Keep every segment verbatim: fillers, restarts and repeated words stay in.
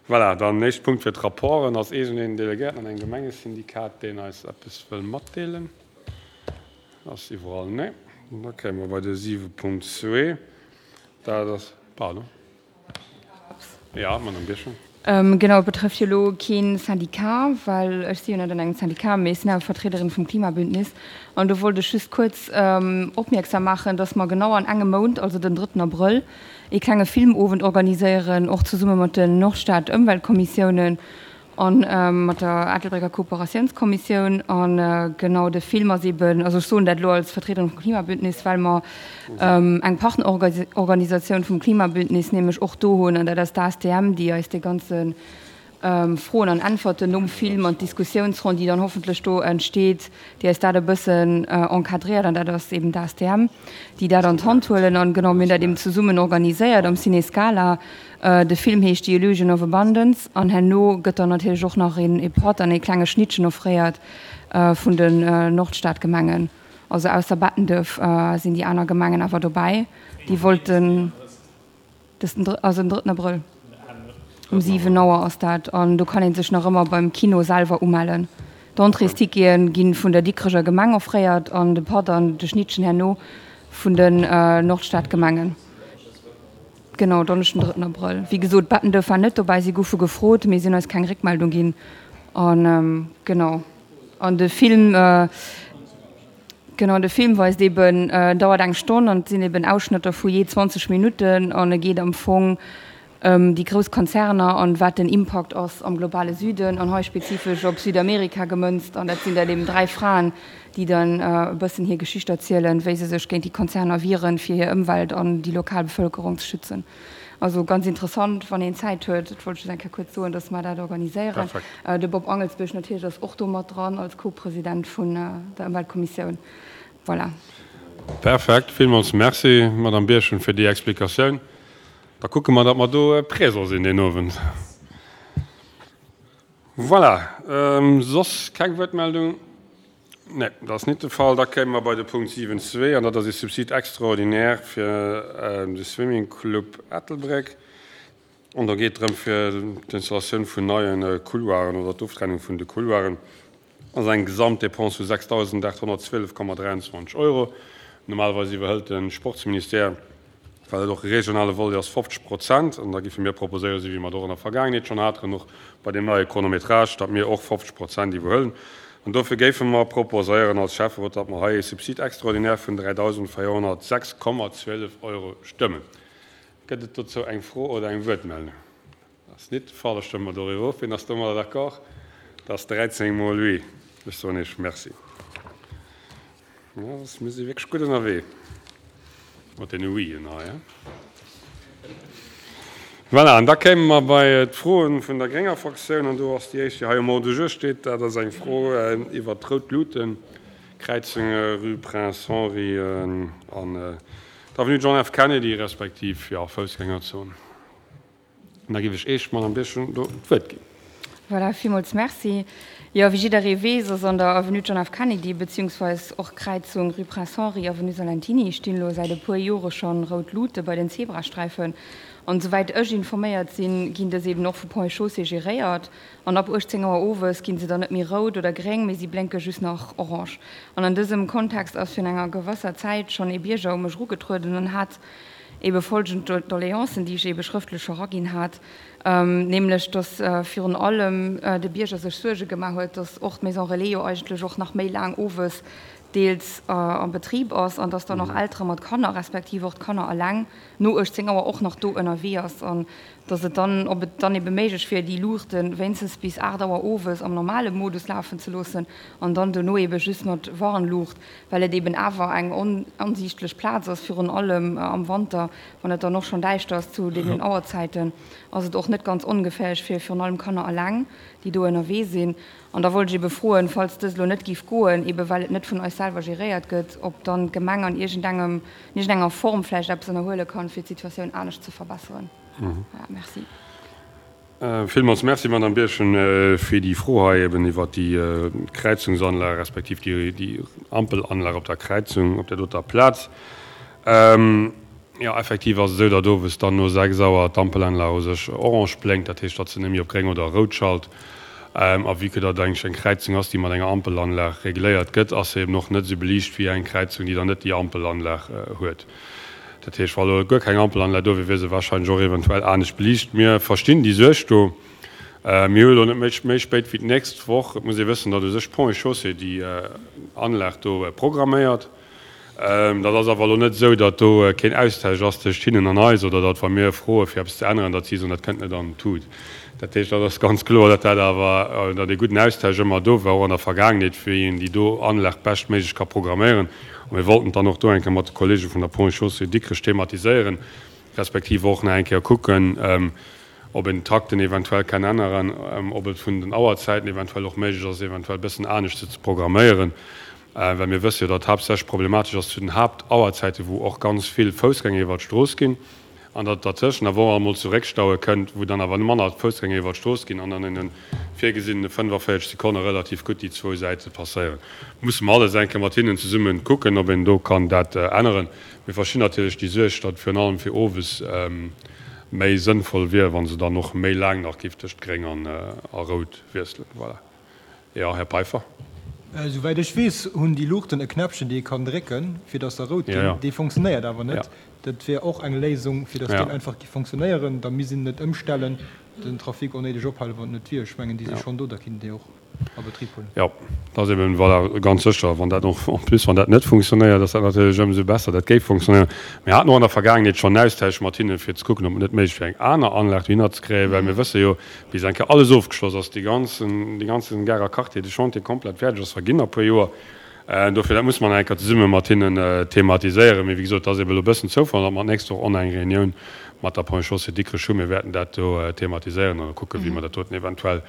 Voilà, dann nächste Punkt fir d'Rapporten. Ass iergendeen Delegéierten an engem Gemengesyndikat, deen eis eppes wëll matdeelen? Ass iwwerall? Nee. Da kéime mer bei de siwe Punkt zwee. Dat ass, pardon. Ja, Madame Birchen. Genau, et betrëfft jo elo kee Syndicat, well ech si jo net an engem Syndicat, mee ech sinn awer Vertriederin vum Klimabündnis. An do wollt ech just kuerz opmierksam maachen, dass mer genau an engem Mount, also den drëtten Abrëll, ee klenge Filmowend organiséieren, och zesumme mat den Nordstad-Ëmweltkommissiounen a mat der Ettelbrécker Kooperatiounskommissioun. A genau de Film ass eeben, also ech soen dat elo als Vertriederin vum Klimabündnis, well mer eng Partnerorganisatioun vum Klimabündnis nämlech och do hunn, an dat ass d'A S T M, déi eis dee ganze Froen an Äntwerten nom Film an d'Diskussiounsronn, déi dann hoffentlech do entsteet, déi eis dat e bëssen encadréiert. An dat ass eben d'A S T M, déi dat an d'Hand huelen. An genau, mir hunn dat eben zesummen organiséiert am Ciné Scala. De Film heescht The Illusion of Abundance an herno gëtt dann natierlech och nach een ee Patt an ee klenge Schnittchen offréiert vun den Nordstadgemengen. Also ausser Bettenduerf sinn déi aner Gemengen awer dobäi. Déi wollten dës den also den drëtten Abrëll um siwen Auer ass dat an do kann ee sech nach ëmmer beim Kino selwer umellen. D'Entréestickete gi vun der Dikreger Gemeng offréiert an de Patt an de Schnittchen herno vun den Nordstadgemengen. Genau, Donneschden den drëtten Abrëll. Wéi gesot, Bettenduerf war net dobäi, si goufe gefrot, mee si hunn eis keng Réckmeldung ginn. An genau, an de Film, genau, de Film weist eben, dauert eng Stonn an et sinn eben Ausschnëtter vu jee zwanzeg Minutten an e geet am Fong ëm déi grouss Konzerner an wat den Impakt ass am globale Süden an hei spezifesch op Südamerika gemënzt. An dat sinn dann eben dräi Fraen, déi dann e bëssen hir Geschicht erzielen, wéi se sech géint déi Konzerner wieren, fir hir Ëmwelt an déi lokal Bevëlkerung ze schützen. Also ganz interessant, wann een Zäit huet. Dat wollt ech just eng Kéier kuerz soen, dass mer dat organiséieren. De Bob Angelsbierg natierlech ass och do mat dran als Co-President vun der Ëmweltkommissioun. Voilà. Perfekt. Villmools Merci, Madame Birchen, fir déi Explikatioun. Da kucke mer, datt mer do présent sinn deen Owend. Voilà. Soss keng Wuertmeldung? Nee, dat ass nit de Fall. Da kéime mer bei de Punkt siwen zwee, an dat ass ee Subside extraordinaire fir de Swimming Club Ettelbréck. An do geet et drëm fir d'Installatioun vun neie Couloiren oder d'Oftrennung vun de Couloiren. Dat ass eng Gesamtdepense vu sechsdausendachthonnertzwielef Komma dräianzwanzeg Euro. Normalerweis iwwerhëlt de Sportsministère, well et och e regionale Volet ass, fofzeg Prozent. An da géife mir proposéieren, esou wéi mer et och an der Vergaangenheet schonn haten, och bei deem neie Chronométrage, datt mir och fofzeg Prozent iwwerhuelen. An dofir géife mer proposéieren als Schäfferot, datt mer hei e Subside extraordinaire vun dräidausendvéierhonnertsechs Komma zwielef Euro stëmmen. Gëtt et dozou eng Fro oder eng Wuertmeldung? Dat ass nit de Fall. Da stëmme mer doriwwer of. Wien ass domadder d'accord? Dat ass dräizéng mol oui. Ech soen Iech Merci. Ja, mir si wierklech gutt ënnerwee mat deene Wien hei. Voilà, an da kéime mer bei d'Froen vun der grénger Fraktioun. An do ass déi éischt, déi hei um Ordre du jour steet, dat ass eng Fro iwwert d'Rout Luuten, Kräizung Rue Prince Henri an d'Avenue John F. Kennedy, respektiv, jo, Foussgängerzon. An da géif ech Iech, Madame Birchen, do d'Wuert ginn. Voilà, villmools Merci. Jo, wéi jidderee weess, ass an der Avenue John F. Kennedy beziehungsweis och Kräizung Rue Prince Henri, Avenue Salentiny stinn elo säit e puer Jore schonn rout Luute bei den Zebrasträifen. An esouwäit ech informéiert sinn, ginn dës eben och vu Ponts et Chaussées geréiert. An ab uechtzéng Auer owes ginn se dann net méi rout oder gréng, mee si blénke just nach orange. An an dësem Kontext ass virun enger gewësser Zäit schonn ee Bierger u mech erugetrueden an hat ebe folgend Doleancen, déi ech ebe schrëftlech scho raginn hat, nämlech dass virun allem de Bierger sech Suerge gemaach huet, dass och d'Maison Relais jo eigentlech och nach méi laang owes deels am Betrib ass an dass dann och Eltere mat Kanner, respektiv och d'Kanner eleng no uechtzéng Auer och nach do ënnerwee ass an dass et dann, ob et dann ebe méiglech wier, déi Luuchte wéinstens bis aacht Auer owes am normale Modus lafen ze loossen an dann dono ebe just mat Warnluucht, well et eben awer eng onsiichtlech Plaz ass, virun allem am Wanter, wann et dann och schonn däischter ass zu deenen Auerzäiten, ass et och net ganz ongeféierlech fir virun allem Kanner eleng, déi do ënnerwee sinn. An da wollt ech ebe froen, falls dëst elo net géif goen, ebe well et net vun eis selwer geréiert gëtt, ob dann d'Gemeng an iergendengem, an iergendenger Form vläicht eppes ënnerhuele kann, fir d'Situatioun anescht ze verbesseren. Voilà, merci. Villmools Merci, Madame Birchen, fir déi Fro hei eben iwwert déi Kräizungsanlag respektiv déi Ampelanlag op der Kräizung op där doter Plaz. Jo, effektiv ass et esou, datt owes dann no sechs Auer d'Ampelanlag u sech orange blénkt, dat heescht, datt se net méi op gréng oder rout schalt. A vue que dat eigentlech eng Kräizung ass, déi mat enger Ampelanlag regléiert gëtt, ass se eben och net esou beliicht wéi eng Kräizung, déi dann net déi Ampelanlag huet. Dat heescht, wa lo guer keng Ampelanlag do wier, wier se wahrscheinlech och eventuell anescht beliicht. Mir verstinn déi Suerg do. Mir hu elo net méi méi spéit wéi d'nächst Woch, et muss ee wëssen, datt u sech Ponts et Chaussées déi Anlag do programméiert. Dat ass awer elo net esou, datt do keen Austausch ass tëscht hinnen an eis oder datt, wa mir froe fir eppes ze änneren, datt si soen, dat kënnt net an d'Tut. Dat heescht, dat ass ganz kloer, datt dat awer, datt ee gudden Austausch ëmmer do war, och an der Vergaangenheet, wéi een déi do Anlag beschtméiglech ka programméieren. A mir wollten et dann och do eng Kéier mat de Kollege vun der Ponts et Chaussées Dikrech thematiséieren, respektiv och nach eng Kéier kucken, ob een d'Takten eventuell kann änneren, ob et vun den Auerzäiten eventuell och méiglech ass, eventuell e bëssen anescht se ze programméieren, well mir wësse jo, datt haaptsächlech problematesch ass zu den Haaptauerzäiten, wou och ganz vill Foussgänger iwwert d'Strooss ginn, an datt et dertëschent awer och emol zu Réckstaue kënnt, wou dann awer manner Foussgänger iwwert d'Strooss ginn an an deene virgesinnene fënnefaféierzeg Sekonne relativ gutt déi zwou Säite passéieren. Musse mer alles eng Kéier mat hinnen zesumme kucken, ob een do kann dat änneren. Mir verstinn natierlech déi Suerg, datt virun allem fir owes méi sënnvoll wier, wa se dann och méi laang nach géif tëscht gréng an a rout wiesselen. Voilà. Jo, Här Peiffer. Souwäit ech weess, hunn déi Luuchten e Knäppchen, dee ee kann drécken, fir datt se rout ginn. Dee fonctionnéiert awer net. Dat wier och eng Léisung, fir datt deen einfach géif fonctionnéieren. Da misst een net ëmstellen, den Trafic onnéideg ophalen, wann et net wier. Ech mengen, déi si schonn do, da kinnt een déi och a Betrib huelen. Jo, dat ass eben, voilà, ganz sécher, wann dat och, en plus, wann dat net funktionéiert, ass dat natierlech ëmsou besser, dat géif funktionéieren. Mir haten och an der Vergaangenheet schonn en Austausch mat hinnen, fir ze kucken, ob et net méiglech wier, eng aner Anlag dohinner ze kréien, well mir wësse jo, bis eng Kéier alles ofgeschloss ass, déi ganzen, dee ganzen Garer Quartier, de Chantier komplett fäerdeg ass, verginn nach e puer Joer. Dofir, dat musse mer nach eng Kéier zesumme mat hinnen thematiséieren. Mee wéi gesot, et ass eben elo e bëssen Zoufall, datt mer d'nächst Woch och nach eng Reunioun mat der Ponts et Chaussées Dikrech hunn. Mir wäerten dat do thematiséieren an da kucken, wéi mer dat doten eventuell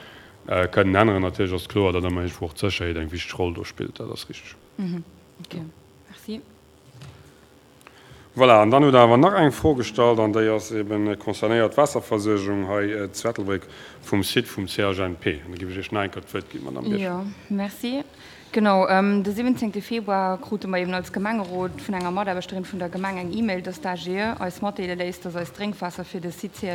kënnen änneren. Natierlech ass kloer, datt ëmmer iergendwou och d'Sécherheet eng wichteg Roll do spillt. Dat ass richteg. Ok, merci. Voilà, an dann hutt Der awer nach eng Fro gestallt, an déi ass eben concernéiert d'Waasserversuergung hei zu Ettelbréck vum Site vum C H N P. An da géif ech Iech nach eng Kéier d'Wuert ginn, Madamm Birchen. Jo, merci. Genau, de siwwenzéngte Februar krute mer eben als Gemengerot vun enger Mataarbechterin vun der Gemeng eng E-Mail, dass d'A G E eis matdeele léisst, dass eist Drénkwaasser fir de Site C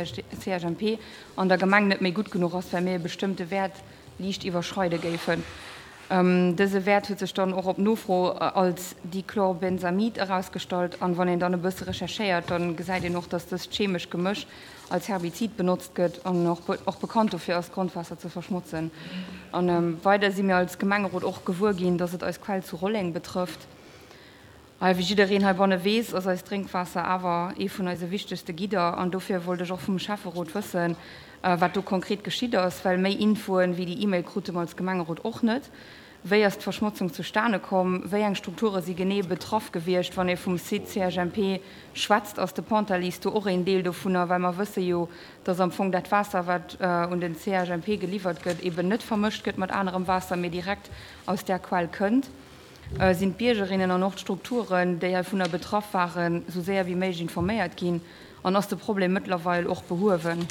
H N P an der Gemeng net méi gutt genuch ass, well mir e bestëmmte Wäert liicht iwwerschreide géifen. Dëse Wäert huet sech dann och op Nofro als Dichlorbenzamid erausgestallt. An wann een dann e bësse recherchéiert, dann gesäit een och, dass dëst chemesch Gemësch als Herbizid benotzt gëtt an och bekannt dofir ass, d'Grondwaasser ze verschmotzen. An weider si mir als Gemengerot och gewuer ginn, dass et eis Quell zu Rolleng betrëfft. A wéi jiddereen heibanne weess, ass eist Drénkwaasser awer ee vun eise wichtegste Gidder. An dofir wollt ech och vum Schäfferot wëssen, wat do konkret geschitt ass, well méi Infoen wéi déi E-Mail krute mer als Gemengerot och net. Wéi ass d'Verschmotzung zustane komm? Wéi eng Strukture si genee betraff gewiescht? Wann ee vum Site C H N P schwätzt, ass de Pontalize do och een Deel dovunner? Well mer wësse jo, dass am Fong dat Waasser, wat un den C H N P geliwwert gëtt, eben net vermëscht gëtt mat anerem Waasser, mee direkt aus där Quell kënnt. Sinn d'Biergerinnen an och d'Strukturen, déi heivunner betraff waren, sou séier wéi méiglech informéiert ginn? An ass de Problem mëttlerweil och behuewen?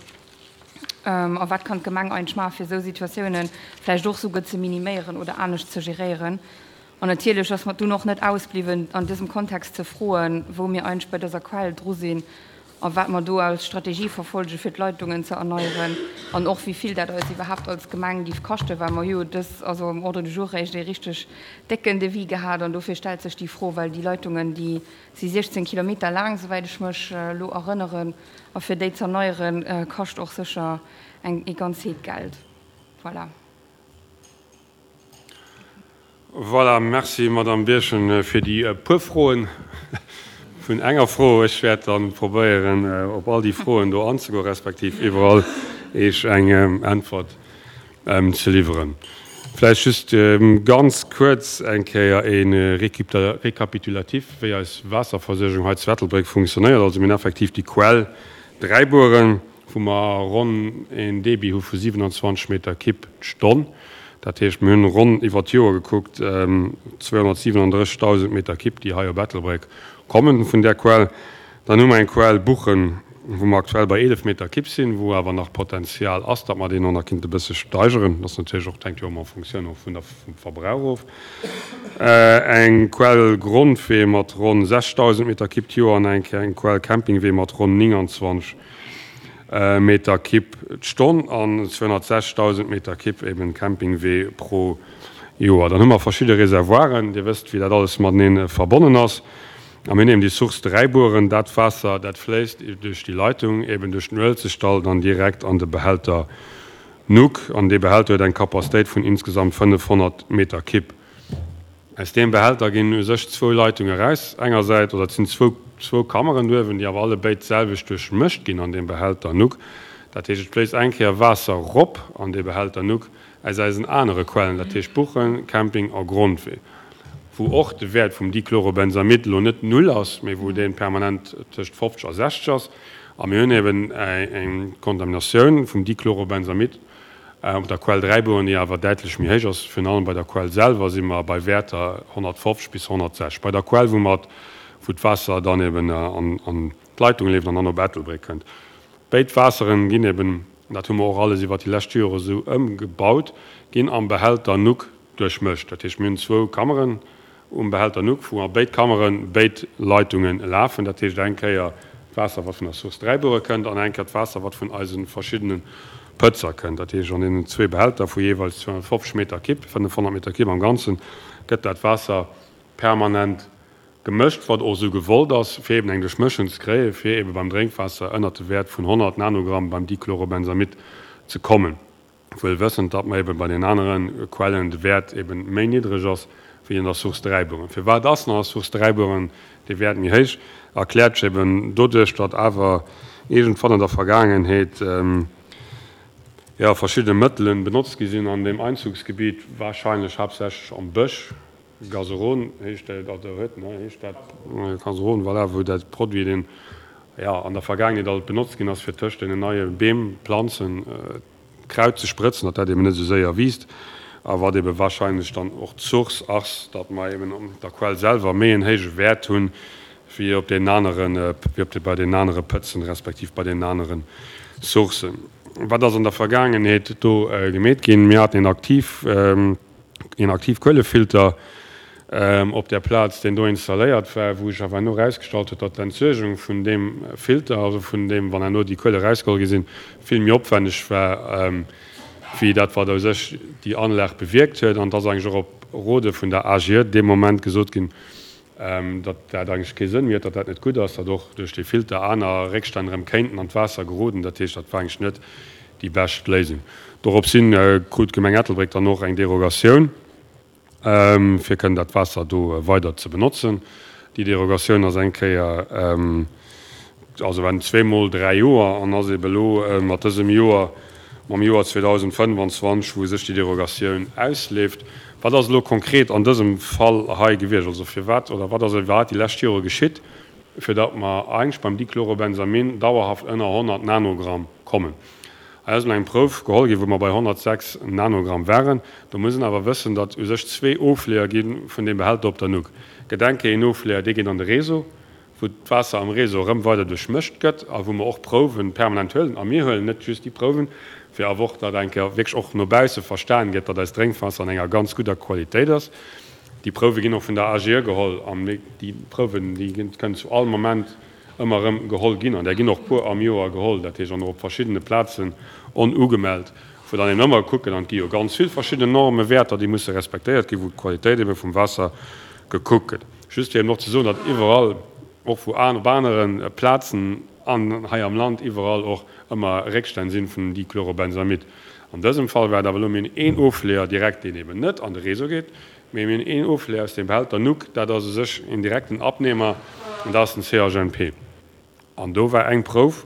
A wat kann d'Gemeng eigentlech maachen, fir esou Situatiounen vläicht och souguer ze miniméieren oder anescht ze geréieren? An natierlech ass mer dunn och net ausbliwwen, an dësem Kontext ze froen, wou mir eigentlech bei dëser Quell dru sinn a wat mer do als Strategie verfolgen, fir d'Leitungen ze erneieren, an och wéi vill dat eis iwwerhaapt als Gemeng géif kaschten, well mer hu jo dës, also am Ordre du jour réischt ee richteg décken Devis gehat. An dofir stellt sech déi Fro, well déi Leitungen, déi si siechzéng Kilometer laang, souwäit ech mech elo erënneren, a fir déi z'erneieren, kascht och sécher eng ee ganz Heed Geld. Voilà. Voilà, merci Madame Birchen fir déi puer Froen vun enger Fro. Ech wäert dann probéieren, op all déi Froen do anzegoen, respektiv iwwerall Iech eng Äntwert ze liwweren. Vläicht just ganz kuerz eng Kéier e Récapitulatif, wéi eis Waasserversuergung hei zu Ettelbréck funktionéiert. Also mir hunn effektiv déi Quell Dräibueren, wou mer ronn een Débit hu vu siwenanzwanzeg Meter Kibb d'Stonn. Dat heescht, mir hunn ronn iwwer d'Joer gekuckt zweehonnertsiwenandrëssigdausend Meter Kibb, déi hei op Ettelbréck kommen vun där Quell. Dann hu mer eng Quell Buchen, wou mer aktuell bei eelef Meter Kipp sinn, wou awer nach Potenzial ass, datt mer deen och nach kinnte e bësse steigeren. Dat ass natierlech och, hänkt jo ëmmer en Fonctioun och vun der, vum Verbrauch of. Eng Quell Grondwee mat ronn sechsdausend Meter Kipp d'Joer an eng eng Quell Campingwee mat ronn nénganzwanzeg Meter Kipp d'Stonn an zweehonnertsechsdausend Meter Kipp eben Campingwee pro Joer. Dann hu mer verschidde Reservoiren. Dir wësst, wéi dat alles matenee verbonnen ass. A mir hunn eben déi Source Dräibueren. Dat Waasser, dat fléisst duerch déi Leitung, eben duerch den Uelzechtdall, dann direkt an de Behälter Nuck. An dee Behälter huet eng Capacitéit vun insgesamt fënnefhonnert Meter Kipp. Aus deem Behälter ginn u sech zwou Leitunge eraus. Engersäits, oder et sinn zwou, zwou Kammeren duerwen, déi awer allebéid d'selwecht duerchmëscht ginn an deem Behälter Nuck. Dat heescht, et fléisst eng Kéier Waasser rop an dee Behälter Nuck aus eisen anere Quellen, dat heescht Buchen, Camping a Grondwee, wou och de Wäert vum Dichlorobenzamid elo net null ass, mee wou dee permanent tëscht fofzeg a sechzeg ass. A mir hunn eben eng Kontaminatioun vum Dichlorobenzamid op der Quell Dräibuer, déi awer däitlech méi héich ass. Virun allem bei der Quell selwer si mer bei Wäerter honnertfofzeg bis honnertsechzeg. Bei der Quell, wou mer, wou d'Waasser dann eben an d'Leitung leeft an dann op Ettelbréck kënnt. Béid Waasseren ginn eben, dat hu mer och alles iwwert déi lescht Jore esou ëmgebaut, ginn am Behälter Nuck duerchmëscht. Dat heescht, mir hunn zwou Kammeren um Behälter Nuck, wou a béid Kammere béid Leitunge lafen. Dat heescht, eng Kéier d'Waasser, wat vun der Source Dräibuere kënnt, an eng Kéier d'Waasser, wat vun eise verschiddene Pëtzer kënnt. Dat heescht, an deenen zwee Behälter vu jeeweils zweehonnertfofzeg Meter Kipp, fënnefhonnert Meter Kipp am Ganzen, gëtt dat Waasser permanent gemëscht, wat och esou gewollt ass, fir eben eng Duerchmëschung ze kréien, fir eben beim Drénkwaasser ënnert de Wäert vun honnert Nanogramm beim Dichlorobenzamid ze kommen, wuel wëssend, datt mer eben bei den anere Quellen de Wäert eben méi niddreg ass wéi an der Source Dräibueren. Firwat ass an der Source Dräibueren dee Wäert méi héich? Erkläert sech eben doduerch, datt awer iergendwann an der Vergaangenheet, jo, verschidde Mëttelen benotzt gi sinn an deem Einzugsgebiet, wahrscheinlech haaptsächlech am Bësch, Gazeron heescht dat, oder huet, ne, heescht dat Gazeron, voilà, wou dat Produit, deen, jo, an der Vergaangenheet alt benotzt ginn ass, fir tëscht deenen neie Beem, Planzen, Kraut ze sprëtzen, datt dat eben net esou séier wiisst, a wat ebe wahrscheinlech dann och d'Source ass, datt mer eben an der Quell selwer méi en héije Wäert hunn, wéi op deenen aneren, wéi op de, bei deenen anere Pëtzen, respektiv bei deenen anere Sourcen. Wat ass an der Vergaangenheet do gemeet ginn? Mir haten een aktiv, een Aktivkuelefilter op där Plaz, deen do installéiert war, wou sech awer herno erausgestallt huet, datt d'Entsuergung vun deem Filter, also vun deem, wann herno déi Kuele erausgeholl gi sinn, vill méi opwänneg war, wéi dat, wat u sech déi Anlag bewierkt huet. An et ass eigentlech och op Rode vun der A G E dee Moment gesot ginn, datt dat eigentlech kee Sënn méi huet, datt dat net gutt ass, datt och duerch dee Filter aner Réckstänn erëm kéinten an d'Waasser geroden. Dat heescht, dat war eigentlech net déi bescht Léisung. Doropshin krut d'Gemeng Ettelbréck dann och eng Derogatioun, fir kënnen dat Waasser do weider ze benotzen. Déi Derogatioun ass eng Kéier, also waren zweemol dräi Joer an ass ebe elo mat dësem Joer, mam Joer zweedausendfënnfanzwanzeg, wou sech déi Derogatioun ausleeft. Wat ass elo konkret an dësem Fall hei gewiescht? Also firwat oder wat ass iwwerhaapt déi lescht Jore geschitt, fir datt mer eigentlech beim Dichlorobenzamin dauerhaft ënner honnert Nanogramm kommen? Hei ass elo eng Prouf geholl ginn, wou mer bei honnertsechs Nanogramm waren. Do muss een awer wëssen, datt u sech zwee Ofleeër gi vun deem Behälter op der Nuck. Gëtt eng Kéier een Ofleeër, dee geet an de Réseau, wou d'Waasser am Réseau erëm weider duerchmëscht gëtt a wou mer och Prouwe permanent huelen. A mir huelen net just déi Prouwen, fir awer och, datt eng Kéier wierklech och no bausse verstan gëtt, datt eist Drénkwaasser an enger ganz gudder Qualitéit ass. Déi Prouwe ginn och vun der A G E geholl an déi Prouwen, déi kënnen zu all Moment ëmmer erëm geholl ginn, an där ginn och puer am Joer geholl, dat heescht an och op verschiddene Plazen onugemellt, wou dann eben ëmmer kucken, an et gi jo ganz vill verschidden Normen, Wäerter, déi musse respektéiert ginn, wou d'Qualitéit ebe vum Waasser gekuckt gëtt. Just fir eben och ze soen, datt iwwerall, och wou op anere Plazen an hei am Land, iwwerall och ëmmer Réckstänn sinn vun Dichlorobenzamid. An dësem Fall war et awer elo, mir hunn een Ofleeër direkt, deen eben net an de Réseau geet, mee mir hunn een Ofleeër aus dem Behälter Nuck, dat ass u sech een direkten Abnehmer, an dat ass den C H N P. An do war eng Prouf,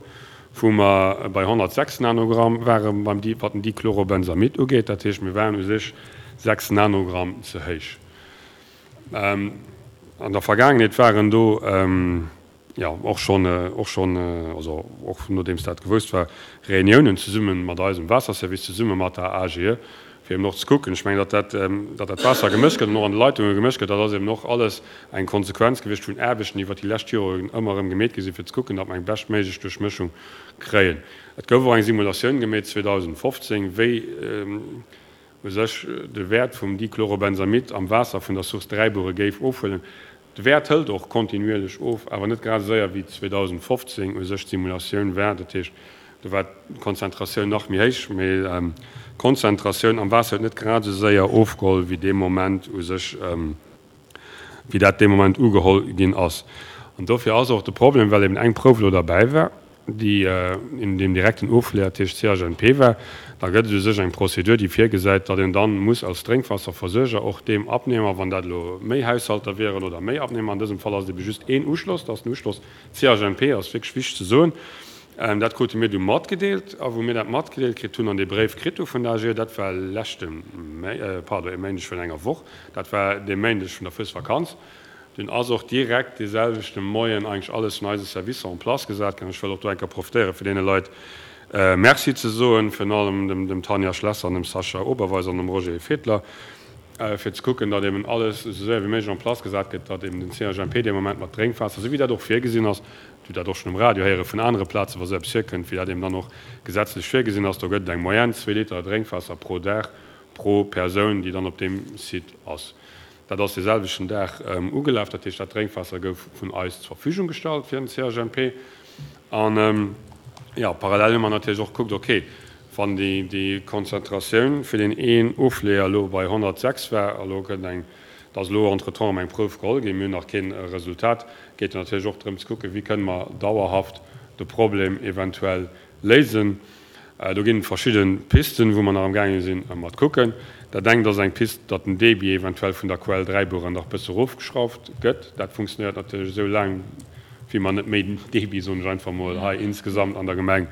wou mer bei honnertsechs Nanogramm ware beim, wat den Dichlorobenzamid ugeet. Dat heescht, mir waren u sech sechs Nanogramm ze héich. An der Vergaangenheet waren do, jo, och schonn, och schonn, also och nodeems dat gewousst war, Reuniounen zesumme mat eisem Waasserservice, zesumme mat der A G E, fir eben och ze kucken. Ech mengen, datt dat, datt dat Waasser gemëscht gëtt an och an de Leitunge gemëscht gëtt, dat ass eben och alles eng Konsequenz gewiescht vun Aarbechten, déi iwwert déi lescht Joren ëmmer erëm gemeet gi sinn, fir ze kucken, datt mer eng beschtméiglech Duerchmëschung kréien. Et gouf och eng Simulatioun gemeet zweedausendfofzéng, wéi u sech de Wäert vum Dichlorobenzamid am Waasser vun der Source Dräibuere géif ofhuelen. De Wäert hëlt och kontinuierlech of, awer net grad esou séier wéi zweedausendfofzéng u sech d'Simulatioun war. Dat heescht, do war d'Konzentratioun nach méi héich, mee d'Konzentratioun am Waasser huet net grad esou séier ofgeholl wéi dee Moment u sech, wéi dat dee Moment ugeholl ginn ass. An dofir ass och de Problem, well eben eng Prouf elo derbäi war, déi in deem direkten Ofleeër tëscht C H N P war, da gëtt et u sech eng Prozedur, déi virgesäit, datt een dann muss als Drénkwaasserversuerger och deem Abnehmer, wann dat elo méi Haushalter wieren oder méi Abnehmer, an dësem Fall ass et ebe just een Uschloss, dat ass den Uschloss C H N P, ass wierklech wichteg ze soen, dat krute mir du matgedeelt. A wou mir dat matgedeelt kritt hunn an dee Bréif kritt hu vun der A G E, dat war leschte, pardon, e Méindeg vun enger Woch, dat war dee Méindeg vun der Fuesvakanz, dunn ass och direkt dee selwechte Moien eigentlech alles vun eise Servicer en place gesat ginn. Ech wëll och do eng Kéier profitéieren, fir deene Leit Merci ze soen, virun allem dem, dem Tanja Schlesser an dem Sascha Oberweis an dem Roger Fedler, fir ze kucken, datt eben alles esou séier wéi méiglech en place gesat gëtt, datt eben den C H N P dee Moment mat Drénkwaasser, esou wéi dat och virgesinn ass, du dat och schonn um Radio héiere vun anere Plazen, wa sou eppes virkënnt, wéi dat eben dann och gesetzlech virgesinn ass, do gëtt et eng Moyenne, zwee Liter Drénkwaasser pro Dag pro Persoun, déi dann op deem Site ass. Dat ass dee selwechten Dag ugelaf, dat heescht, dat Drénkwaasser gouf vun eis zur Verfügung gestallt fir den C H N P. An, jo, parallel hu mer natierlech och gekuckt, okay, wann déi, déi Konzentratioun fir deen een Ofleeër elo bei honnertsechs war, a elo gëtt eng, et ass elo entretemps erëm eng Prouf geholl ginn, mir hunn nach keen Resultat, geet et natierlech och drëm ze kucken, wéi kënne mer dauerhaft de Problem eventuell léisen. Do ginn et verschidde Pisten, wou mer nach amgaange sinn mat kucken. Dat engt ass eng Pist, datt den Débit eventuell vun der Quell Dräibuer nach bësse erofgeschrauft gëtt. Dat funktionéiert natierlech esou laang, wéi mer net méi Débit, soen ech einfach mol, hei insgesamt an der Gemeng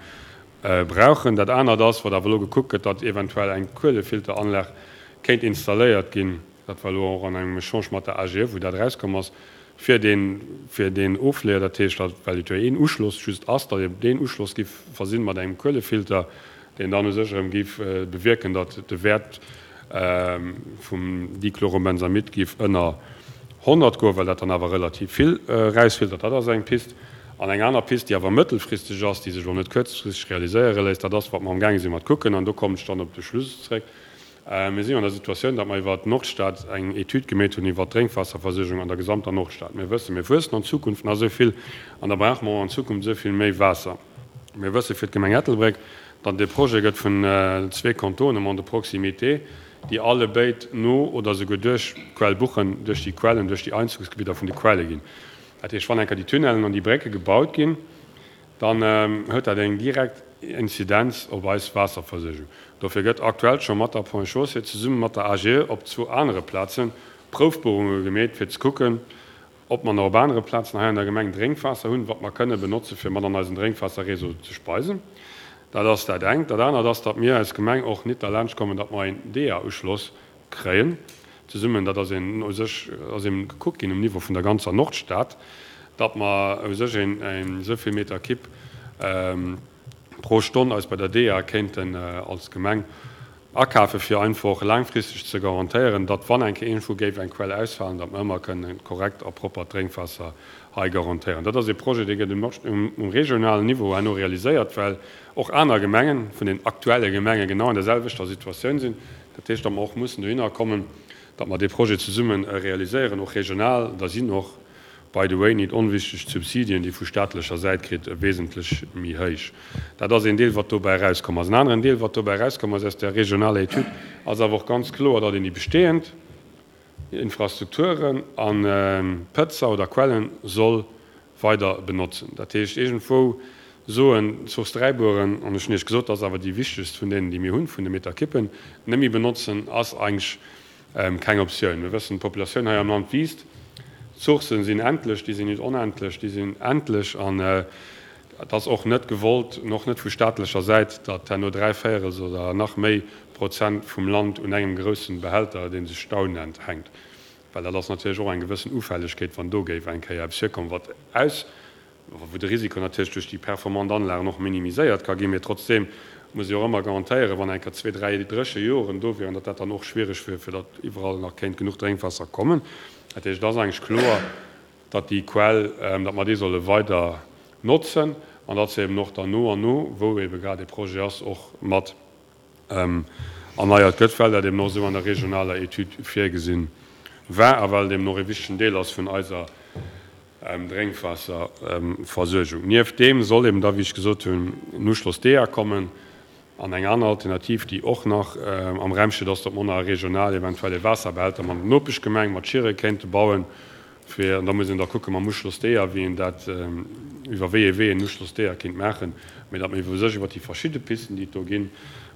brauchen. Dat anert ass, wat awer elo gekuckt gëtt, datt eventuell eng Kuelefilteranlag kéint installéiert ginn, dat war elo och an engem Echange mat der A G E, wou dat erauskomm ass, fir deen, fir deen Ofleeër, dat heescht, datt, well et jo een Uschloss just ass, datt een deen Uschloss giff versinn mat engem Kuelefilter, deen dann u sech erëm giff bewierken, datt de Wäert vum Dichlorobenzamid giff ënner honnert goen, well dat dann awer relativ vill erausfiltert. Dat ass eng Pist. An eng aner Pist, déi awer mëttelfristeg ass, déi sech elo net kuerzfristeg realiséiere léisst, dat ass, wat mer amgaange si mat kucken, an do kommen ech dann op de Schluss zréck, Mir sinn an der Situatioun, datt mer iwwert d'Nordstad eng Etüd gemeet hunn iwwert d'Drénkwaasserversuergung an der gesamter Nordstad. Mir wëssen, mir wuessen an Zukunft nach esou vill an da brauche mer och an Zukunft esou vill méi Waasser. Mir wësse fir d'Gemeng Ettelbréck, datt et e Projet gëtt vun zwee Contournements de proximité, déi allebéid no oder souguer duerch d'Quell Buchen, duerch déi Quellen, duerch déi Einzugsgebidder vun de Quelle ginn. Dat heescht, wann eng Kéier déi Tunnellen an déi Brécke gebaut ginn, dann huet dat eng direkt Inzidenz op eis Waasserversuergung. Dofir gëtt aktuell scho mat der Ponts et Chaussées zesumme mat der A G E op zwou anere Plaze Proufbuerunge gemeet, fir ze kucken, ob mer nach op anere Plazen hei an der Gemeng Drénkwaasser hunn, wat mer kënne benotze fir mat an eisen Drénkwaasserréseau ze speisen. Dat ass dat engt. Dat anert ass, datt mir als Gemeng och nit derlaanscht kommen, datt mer een D E A-Uschloss kréien zesummen. Dat ass een u sech ass eben gekuckt ginn um Niveau vun der ganzer Nordstad, datt mer u sech een esou vill Meter Kibb pro Stonn eis bei der D E A kéinten als Gemeng akafe fir einfach laangfristeg ze garantéieren, datt wann eng Kéier iergendwou géif eng Quell ausfalen, datt mer ëmmer kënnen korrekt a proppert Drénkwaasser hei garantéieren. Dat ass ee Projet, dee gëtt um regionalen Niveau herno realiséiert, well och aner Gemengen vun den aktuelle Gemenge genau an der selwechter Situatioun sinn. Dat heescht, datt mer och mussen dohinner kommen, datt mer dee Projet zesumme realiséieren, och regional. Da sinn och, by the way, nit onwichteg, d'Subsidien, déi vu staatlecher Säit kritt, wesentlech méi héich. Dat ass een Deel, wat dobäi erauskomm ass. En aneren Deel, wat dobäi erauskomm ass aus där regionaler Etüd, ass awer och ganz kloer, datt een déi bestehend Infrastrukturen a Pëtzer oder Quellen soll weider benotzen. Dat heescht, iergendwou soen, d'Source Dräibueren, an ech hunn Iech gesot, dat ass awer déi wichtegst vun deenen, déi mir hunn, vun de Meterkippen, net méi benotzen, ass eigentlech keng Optioun. Mir wëssen, d'Populatioun hei am Land wiisst. D'Sourcen sinn endlech, déi sinn nit onendlech, déi sinn endlech. An et ass och net gewollt, och net vu staatlecher Säit, datt herno dräi Véierels oder nach méi Prozent vum Land un engem groussen Behälter, dee sech Stau nennt, hänkt. Well dat ass natierlech och eng gewëssen Ufällegkeet, wann do géif eng Kéier eppes virkommen, wat aus, wou de Risiko natierlech duerch déi performant Anlagen och minimiséiert ka ginn, mee trotzdeem Muss ee jo och ëmmer garantéieren, wann eng Kéier zwee, dräi dréche Joren do wieren, datt dat dann och schwierig wier, fir datt iwwerall nach kéint genuch Drénkwaasser kommen. Dat heescht, et ass eigentlech kloer, datt déi Quell, datt mer déi solle weider notzen an datt se eben och dann no an no, wou ebe grad dee Projet ass, och mat erneiert gëtt, well dat eben och esou an der regionaler Etüd virgesinn war a well et eben och e wichtegen Deel ass vun eiser Drénkwaasserversuergung. Nieft deem soll eben da, wéi ech gesot hunn, en Uschloss D A kommen. An eng aner Alternativ, déi och nach am Raum steet, ass, datt mer nach regional eventuell e Waasserbehälter mat der Nopeschgemeng, mat Schieren, kéinte bauen, fir, an da muss een da kucke mam Uschloss D A, wéi een dat, iwwer wéi ee Wee een Uschloss D A kéint maachen, mee datt mer iwwer u sech iwwer déi verschidde Pisten, déi et do ginn,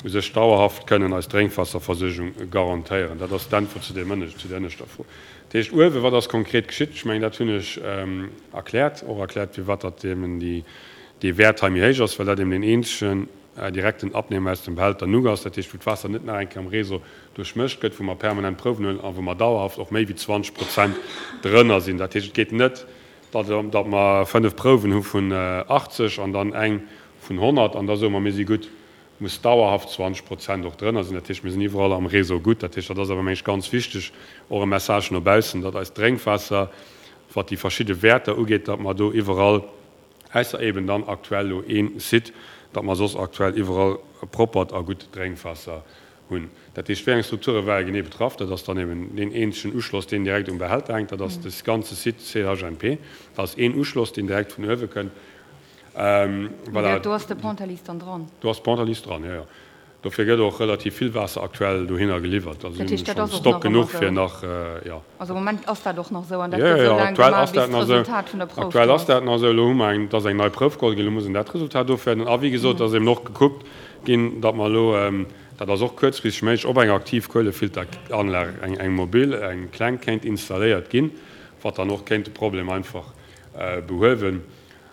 u sech dauerhaft kënnen eis Drénkwaasserversuergung garantéieren. Dat ass d'Äntwert zu deem ënnescht, zu der ënneschter Fro. Dat heescht, uewe, wat ass konkret geschitt? Ech mengen, dat hunn ech erkläert, och erkläert, firwat datt eben déi, dee Wäert hei méi héich ass, well dat eben deen eenzegen direkten Abnehmer aus dem Behälter Nugg ass, dat heescht, wou d'Waasser net nach eng Kéier am Réseau duerchmëscht gëtt, wou mer permanent Prouwen huelen a wou mer dauerhaft och méi wéi zwanzeg Prozent drënner sinn. Dat heescht, et geet net, datt, datt mer fënnef Prouwen hu vun achtzeg an dann eng vun honnert an da soe mer, mir si gutt. Muss dauerhaft zwanzeg Prozent och drënner sinn. Dat heescht, mir sinn iwwerall am Réseau gutt. Dat heescht, dat ass awer, meng ech, ganz wichteg, och e Message no baussen, datt eist Drénkwaasser, wat déi verschidde Wäerter ugeet, datt mer do iwwerall, ausser eben dann aktuell elo ee Site, datt mer soss aktuell iwwerall proppert a gutt Drénkwaasser hunn. Dat heescht, wéi eng Strukture ware genee betraff? Dat ass dann eben deen eenzegen Uschloss, deen direkt um Behälter hänkt. Dat ass de ganze Site C H N P. Dat ass een Uschloss, deen direkt vun uewe kënnt. Voilà. Do ass de Pontalize dann dran? Do ass d'Pontalize dran, jo, jo. Dofir gëtt och relativ vill Waasser aktuell dohinner geliwwert. Also Dat heescht, dat schonn ass och Stock nach ëmmer genuch fir esou? nach, jo. Also am Moment ass dat och nach esou an dat Jo, gëtt jo, esou laang aktuell gemaach, ass bis dat nach esou. d'Resultat vun der Prouf Aktuell do ass ass. dat nach esou. Elo hu mer eng, et ass eng nei Prouf geholl ginn, elo muss een dat Resultat ofwäerten. A wéi gesot, ass eben och gekuckt ginn, datt mer elo, dat ass och kuerzfristeg méiglech, ob eng aktiv Kuelefilteranlag, eng, eng mobil, eng kleng kéint installéiert ginn, wat dann och kéint de Problem einfach behuewen,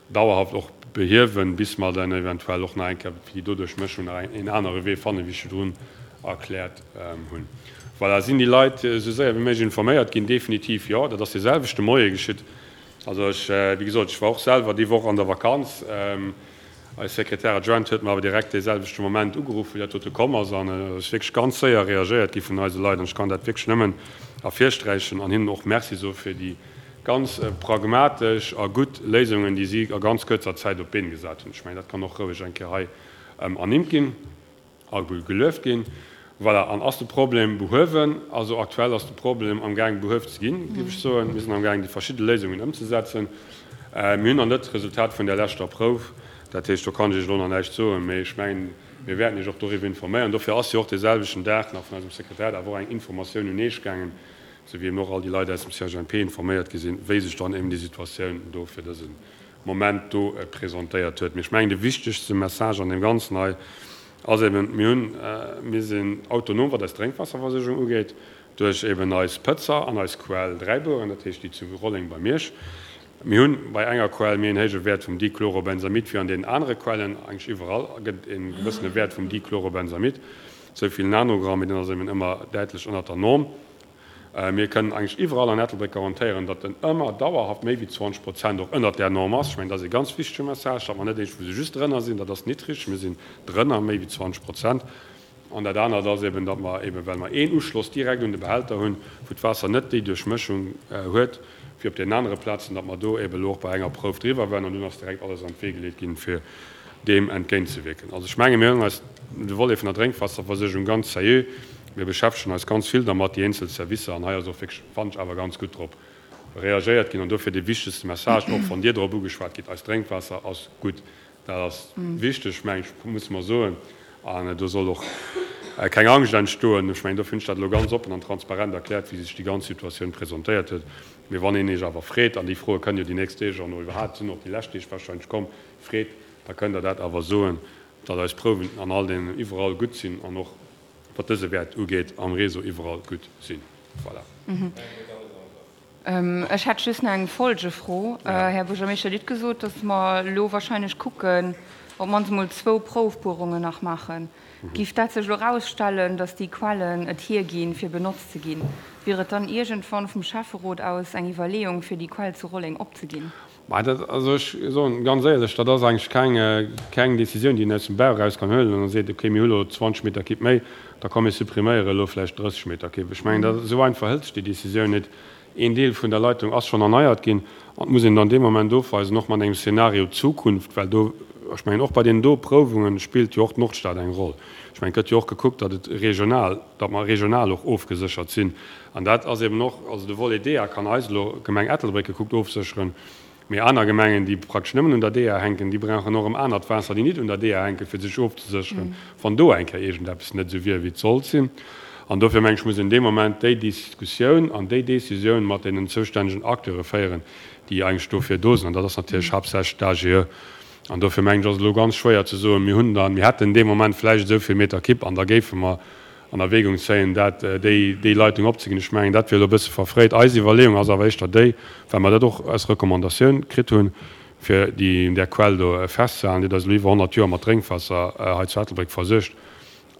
dauerhaft och behiewen, bis mer dann eventuell och nach eng Kéier fir déi doduerch Mëschung nach een anere Wee fannen, wéi ech virdrun erkläert hunn. Voilà, sinn déi Leit esou séier wéi méiglech informéiert ginn? Definitiv jo. Dat ass dee selwechte Moie geschitt. Also ech, wéi gesot, ech war och selwer déi Woch an der Vakanz. Eis Secrétaire adjointe huet mer awer direkt dee selwechte Moment ugeruff, wéi dat dote komm ass, an et ass wierklech ganz séier reagéiert gi vun eise Leit. An ech kann dat wierklech nëmmen ervirsträichen an hinnen och Merci soe fir déi ganz pragmatesch a gutt Léisungen, déi si a ganz kuerzer Zäit op d'Been gesat hunn. Ech mengen, dat kann och roueg eng Kéier hei ernimmt ginn a gelueft ginn. Voilà, an ass de Problem behuewen? Also aktuell ass de Problem amgaang behueft ze ginn, géif ech soen. Mir sinn amgaang déi verschidde Léisungen ëmzesetzen. Mir hunn nach net d'Resultat vun där leschter Prouf, dat heescht, do kann ech Iech elo nach näischt soen, mee ech mengen, mir wäerten Iech och doriwwer informéieren. Dofir ass jo och dee selwechten Dag nach vun eisem Sekretariat awer och eng Informatioun un Iech gaangen, sou wéi eben och all déi Leit aus dem C H N P informéiert gi sinn, wéi sech dann eben déi Situatioun do fir dëse Moment do presentéiert huet. Mee ech mengen, de wichtegste Message an deem Ganzen hei ass eben, mir hunn, mir sinn autonom, wat eis Drénkwaasserversuergung ugeet, duerch eben eis Pëtzer an eis Quell Dräibueren, dat heescht déi zu Rolleng bei Miersch. Mir hunn bei enger Quell méi en héije Wäert vum Dichlorobenzamid wéi an deenen anere Quellen. Eigentlech iwwerall gëtt e gewëssene Wäert vum Dichlorobenzamid, esou vill Nanogramm, mee deen ass eben ëmmer däitlech ënnert der Norm. Mir kënnen eigentlech iwwerall an Ettelbréck garantéieren, datt en ëmmer dauerhaft méi wéi zwanzeg Prozent och ënnert där Norm ass. Ech mengen, dat ass e ganz wichtege Message, datt mer net iergendwou se just drënner sinn, dat ass nit richteg. Mir sinn drënner, méi wéi zwanzeg Prozent. An dat anert ass eben, datt mer eben, well mer een Uschloss direkt un de Behälter hunn, wou d'Waasser net déi Duerchmëschung huet wéi op deenen anere Plazen, datt mer do eben elo och bei enger Prouf driwwer waren an dunn ass direkt alles an d'Wee geleet ginn, fir deem entgéintzewierken. Also ech menge mir huelen eis de Volet vun der Drénkwaasserversuergung ganz seriö. Mir beschäftegen eis ganz vill dermat, déi eenzel Servicer, an hei ass och wierklech, fannen ech, awer ganz gutt drop reagéiert ginn. An dofir dee wichtegste Message, och wann Dir drop ugeschwat gitt, Eist Drénkwaasser ass gutt. Dat ass wichteg, meng ech, musse mer soen. An do soll och keng Angscht entstoen. Ech mengen, dofir hunn ech dat elo ganz oppen an transparent erkläert, wéi sech déi ganz Situatioun presentéiert huet. Mee wann een Iech awer freet, an déi Froe kënnen jo déi nächst Deeg an och iwwerhaapt sinn och déi lescht Deeg wahrscheinlech komm, freet, da kënnt Der dat awer soen, datt eis Prouwen an all deenen iwwerall gutt sinn an och, wat dëse Wäert ugeet, am Réseau iwwerall gutt sinn. Voilà. Ech hätt just nach eng Folgefro. Här Buergermeeschter, Dir hutt gesot, datt mer elo wahrscheinlech kucken, op d'mannst emol zwou Proufbuerungen nach maachen. Giff dat sech elo erausstellen, datt déi Quellen et hierginn, fir benotzt ze ginn, wier et dann iergendwann vum Schäfferot aus eng Iwwerleeung, fir déi Quell zu Rolleng opzeginn? Ma dat, also ech soen ganz éierlech, dat ass eigentlech keng, keng Décisioun, déi een aus dem Bauch eraus kann huelen an da seet, okay, mir hu lo zwanzeg Meter Kipp méi, da komm mir suppriméiere elo vläicht drësseg Meter Kipp. Ech mengen, dat, esou einfach hëlt sech déi Décisioun net. Een Deel vun der Leitung ass schonn erneiert ginn an et muss een dann dee Moment ofweisen, och mat engem Szenario Zukunft, well do, ech mengen, och bei deenen do Prouwunge spillt jo och d'Nordstad eng Roll. Ech mengen, et gëtt jo och gekuckt, datt et regional, datt mer regional och ofgeséchert sinn. An dat ass eben och, also de Volet D E A kann eis elo, d'Gemeng Ettelbréck gekuckt, ofsécheren. Mee aner Gemengen, déi praktesch nëmmen un der D E A hänken, déi brauchen och erëm anert Waasser, déi nit un der D E A hänken, fir sech ofzesécheren, wann do eng Kéier iergendeppes net esou wier, wéi et sollt sinn. An dofir, meng ech, muss een dee Moment déi Diskussioun an déi Décisioun mat deenen zoustännegen Acteure féieren, déi eigentlech dofir do sinn. An dat ass natierlech haaptsächlech d'A G E. An dofir, meng ech, ass et elo ganz schwéier ze soen, mir hunn dann, mir hätten dee Moment vläicht esou vill Meter Kipp an da géife mer an Erwägung zéien, dat, déi, déi Leitung opzeginn. Ech mengen, dat wier elo e bësse verfréit. Eis Iwwerleeung ass awer éischter déi, well mer dat och als Recommandatioun kritt hunn, fir déi, där Quell do festzehalen, déi huet eis elo iwwer honnert Joer mat Drénkwaasser hei zu Ettelbréck versuergt.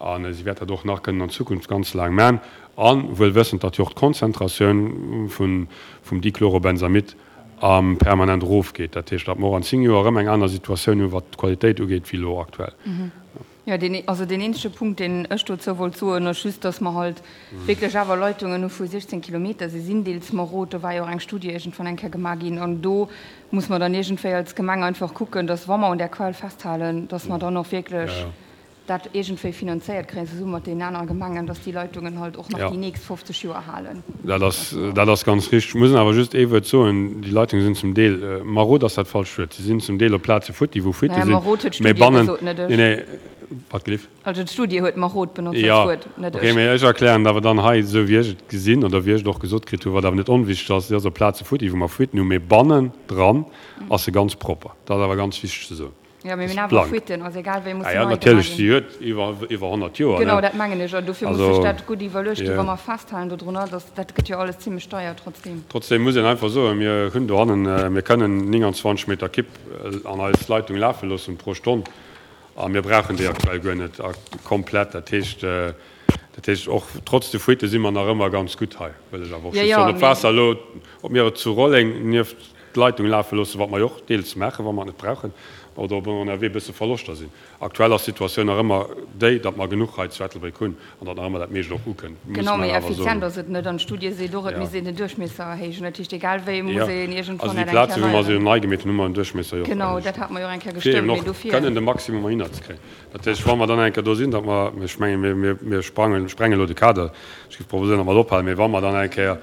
A si wäert dat och nach kënnen an Zukunft ganz laang man. A wuel wëssend, datt jo och d'Konzentratioun vun, vum Dichlorobenzamid am permanent erofgeet. Dat heescht, datt mer och an zéng Joer erëm eng aner Situatioun hunn, wat d'Qualitéit ugeet, wéi elo aktuell. Jo, deen, also deen eenzege Punkt, deen ech dozou wollt soen, ass just, datt mer halt wierklech awer Leitungen hu vu siechzéng Kilometer. Se sinn deels marod, do war jo och eng Studie iergendwann eng Kéier gemaach ginn. An do muss mer dann iergendwéi als Gemeng einfach kucken, datt, wa mer un där Quell festhalen, datt mer dann och wierklech dat iergendwéi finanzéiert kréien, zesumme mat deenen anere Gemengen, datt déi Leitungen halt och nach déi nächst fofzeg Joer halen. Dat ass, dat ass ganz richtig. Ech muss awer just ee Wuert soen, Déi Leitungen sinn zum Deel, marod ass dat falscht Wuert, se sinn zum Deel op Plaze futti, wou Fuitte Naja, sinn, marod huet mä d'Studie bannen, gesot, net ech. nee, nee, wat gelift? Also d'Studie huet marod benotzt als Jo, Wuert, net okay, ech. mä ech erklären et awer dann hei esou, wéi ech et gesinn oder wéi ech et och gesot kritt hunn, wat awer net onwichtig ass, Si ass op Plaze futti, wou mer Fuitten hunn, mä bannendran ass se ganz propper. Dat ass awer ganz wichteg ze soen. Jo, mee Ass mir hunn awer blank. Fuitten, also egal wéi muss Ah se ja, nei gemaach natierlech, ginn. si huet iwwer, iwwer honnert Joer, Genau, ne? dat mengen ech. An dofir muss sech Also, dat gutt iwwerluecht ginn, jo. wa mer festhalen dodrunner, dass dat gëtt jo alles zimlech deier trotzdem. Trotzdem muss een einfach soen, mir hunn dohannen, mir kënnen nénganzwanzeg Meter Kipp an eis Leitung lafe loossen pro Stonn a mir brauchen déi aktuell guer net komplett. Dat heescht, dat heescht och trotz de Fuitte si mer nach ëmmer ganz gutt hei, wëll ech awer och Jo, just jo, soen. Ob mee. d'Waasser elo, ob mir et zu Rolleng nieft d'Leitung lafe loossen, wat mer jo och deels maachen, wa mer et net brauchen, oder ob ënnerwee e bësse Verloschter sinn. Aktuell ass d'Situatioun nach ëmmer déi, datt mer genuch hei zu Ettelbréck hunn an datt nach ëmmer dat meescht och ukënnt, muss Genau, mer méi awer soen. effizient ass et net. An d'Studie seet och, et Ja. misst een den Duerchmiesser erhéijen. Dat heescht, egal wéi muss Ja, een iergendwann also déi dat eng Plaze, Kéier wou mer se erneieren. nei gemeet hunn, hu mer den Duerchmiesser jo och Genau, erhéicht. dat hate mer jo och eng Kéier Fir eben gestëmmt, mee och dofir. kënnen de Maximum erhinnerzekréien. Dat heescht, wa mer dann eng Kéier do sinn, datt mer, ech mengen, mir, mir, mir sprangen, sprengen elo de Kader, ech géif proposéieren, datt mer et ophalen, mee wa mer dann eng Kéier,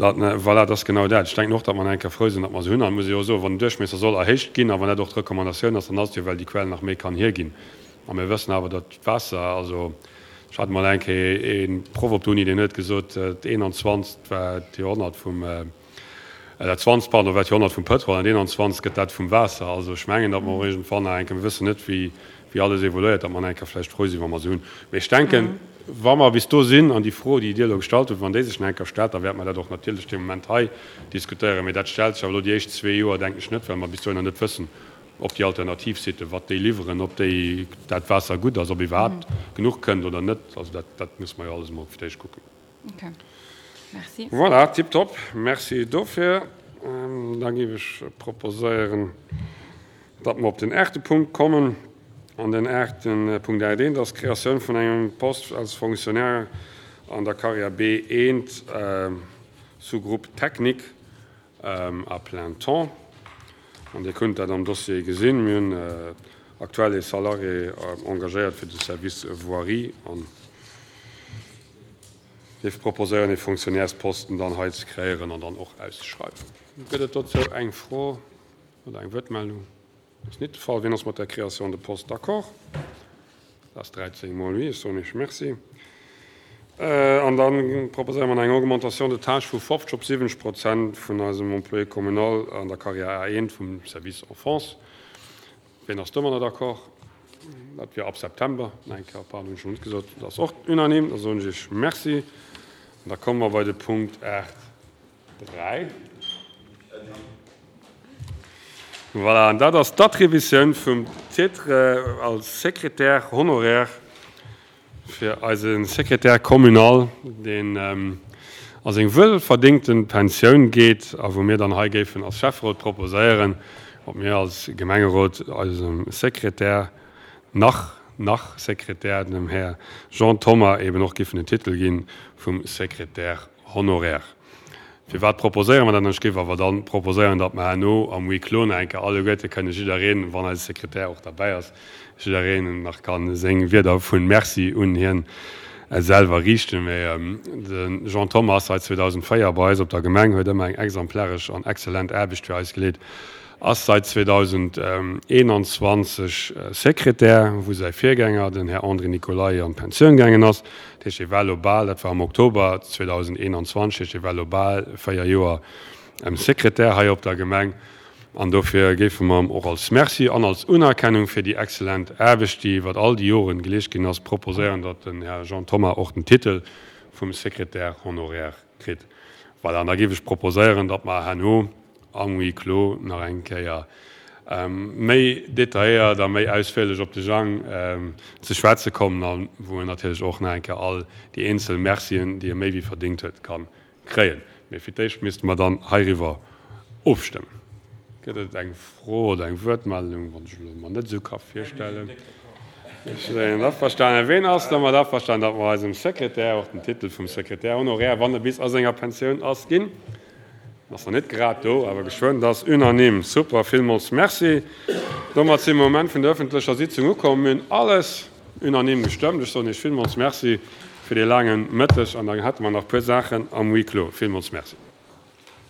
Dat, voilà, dat ass genau dat. Ech denken och, datt mer nach eng Kéier frou sinn, datt mer se hunn. An et muss ee jo och soen, wann den Duerchmiesser soll erhéicht ginn a wann dat och d'Recommandatioun ass, dann ass et jo, well déi Quell nach méi kann hierginn. A mir wëssen awer, datt d'Waasser, also ech hat emol eng Kéier ee Proff op der Uni, deen huet gesot, d'eenanzwanzegt war d'Joerhonnert vum, dat zwanzegt, pardon, war d'Joerhonnert vum Pëtrol an d'eenanzwanzegt gëtt dat vum Waasser. Also ech mengen, datt mer och iergendwann nach eng Kéier, mir wëssen net, wéi, wéi alles evoluéiert, datt mer nach eng Kéier vläicht frou sinn, wa mer se hunn. Mee ech denken, wa mer bis do sinn an déi Fro, déi Dir elo gestallt hutt, wann déi sech nach eng Kéier stellt, da wäerte mer dat och natierlech dee Moment hei diskutéieren. Mee dat stellt sech awer elo déi éischt zwee Joer, denken ech, net, well mer bis dohinner net wëssen, ob déi Alternativsitten, wat déi liwweren, ob déi, dat Waasser gutt ass, ob iwwerhaapt genuch kënnt oder net. Also dat, dat muss mer jo alles emol fir d'éischt kucken. Okay. Merci. Voilà, tiptop. Merci dofir. Da géif ech proposéieren, datt mer op den aachte Punkt kommen. An den aachten Punkt aacht eent ass d'Kreatioun vun engem Poste als Fonctionnaire an der Carrière B eent, Sous-groupe technique, à plein temps. An Dir kënnt dat am Dossier gesinn. Mir hunn aktuell ee Salarié engagéiert fir de Service Voirie an géif proposéieren, ee Fonctionnairesposten dann hei ze kreéieren an dann och auszeschreiwen. Gëtt et dozou eng Fro oder eng Wuertmeldung? Dat ass net de Fall. Wien ass mat der Création de poste d'accord? Dat ass dräizéng mol oui. Ech soen Iech Merci. An da proposéiere mer eng Augmentation de tâches vu fofzeg op siwwenzeg Prozent vun eisem Employé communal an der Carrière A eent vum Service Enfance. Wien ass domadder d'accord? Dat wier ab September. Eng Kéier, pardon, hunn ech schonn net gesot. Dat ass och unanime. Da soen ech Iech Merci. An da komme mer bei de Punkt aacht dräi. Voilà, an dat ass d'Attributioun vum Titre als Secrétaire honoraire fir eise Secrétaire communal, deen a seng wuelverdéngte Pensioun geet a wou mir dann hei géifen als Schäfferot proposéieren, ob mir als Gemengerot eisem Sekretär, nach, nach Sekretär, dem Här Jean Thoma eben och géifen den Titel gi vum Secrétaire honoraire. Firwat proposéiere mer dat? Ech géif awer dann proposéieren, datt mer herno am Huis clos nach eng Kéier alleguerte kënne jiddereen, wann eise Sekretär och derbäi ass, jiddereen nach ka seng Wierder vu Merci un hien selwer riichten. Mä de Jean Thoma ass seit zweedausendvéier bei eis op der Gemeng, huet ëmmer eng exemplaresch an exzellent Aarbecht fir eis geleet, ass seit zweedausendeenanzwanzeg Sekretär, wou säi Virgänger, den Här André Nicolay, an d'Pensioun gaangen ass. Dat heescht, hie war elo bal, dat war am Oktober zweedausendeenanzwanzeg, dat heescht, hie war elo bal véier Joer Sekretär hei op der Gemeng. An dofir géife mer em och als Merci an als Unerkennung fir déi exzellent Aarbecht, déi iwwert all déi Joren geleescht ginn ass, proposéieren, datt den Här Jean Thoma och den Titel vum Secrétaire honoraire kritt. Voilà, an da géif ech proposéieren, datt mer herno am Huis clos nach eng Kéier méi detailléiert a méi ausféierlech op de Jang ze schwätze kommen a wou en natierlech och nach eng Kéier all déi eenzel Mercien, déi e méi wéi verdéngt huet, ka kréien. Mee fir d'éischt misste mer dann heiriwwer ofstëmmen. Gëtt et eng Fro oder eng Wuertmeldung, wann ech elo mer net esou ka virstellen? Ech sinn averstanen. Ween ass domat averstanen, datt mer eisem Sekretär och den Titel vum Secrétaire honoraire, wann e bis a senger Pensioun ass, ginn? En ass nach net grad do, awer geschwënn. Dat ass unanime. Super, villmools Merci. Domat si mer um Enn vun der öffentlecher Sitzung ukomm. Mir hunn alles unanime gestëmmt. Ech soen Iech villmools Merci fir dee laange Mëtteg an da hätte mer nach e puer Saachen am Huis clos. Villmools Merci.